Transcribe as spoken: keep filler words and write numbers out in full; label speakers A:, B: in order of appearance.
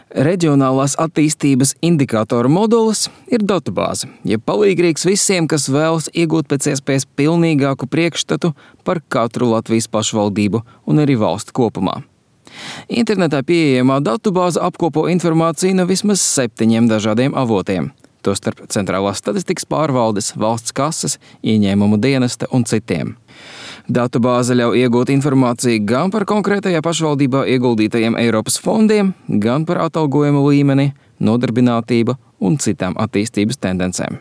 A: Reģionālās attīstības indikātoru modulis ir datubāze, jeb palīgrīgs visiem, kas vēlas iegūt pēc iespējas pilnīgāku priekšstatu par katru Latvijas pašvaldību un arī valsti kopumā. Internetā pieejamā datubāze apkopo informāciju no vismaz septiņiem dažādiem avotiem, tostarp Centrālās statistikas pārvaldes, valsts kases, ieņēmumu dienesta un citiem. Datubāze ļauj iegūt informāciju gan par konkrētajā pašvaldībā ieguldītajiem Eiropas fondiem, gan par atalgojumu līmeni, nodarbinātību un citām attīstības tendencēm.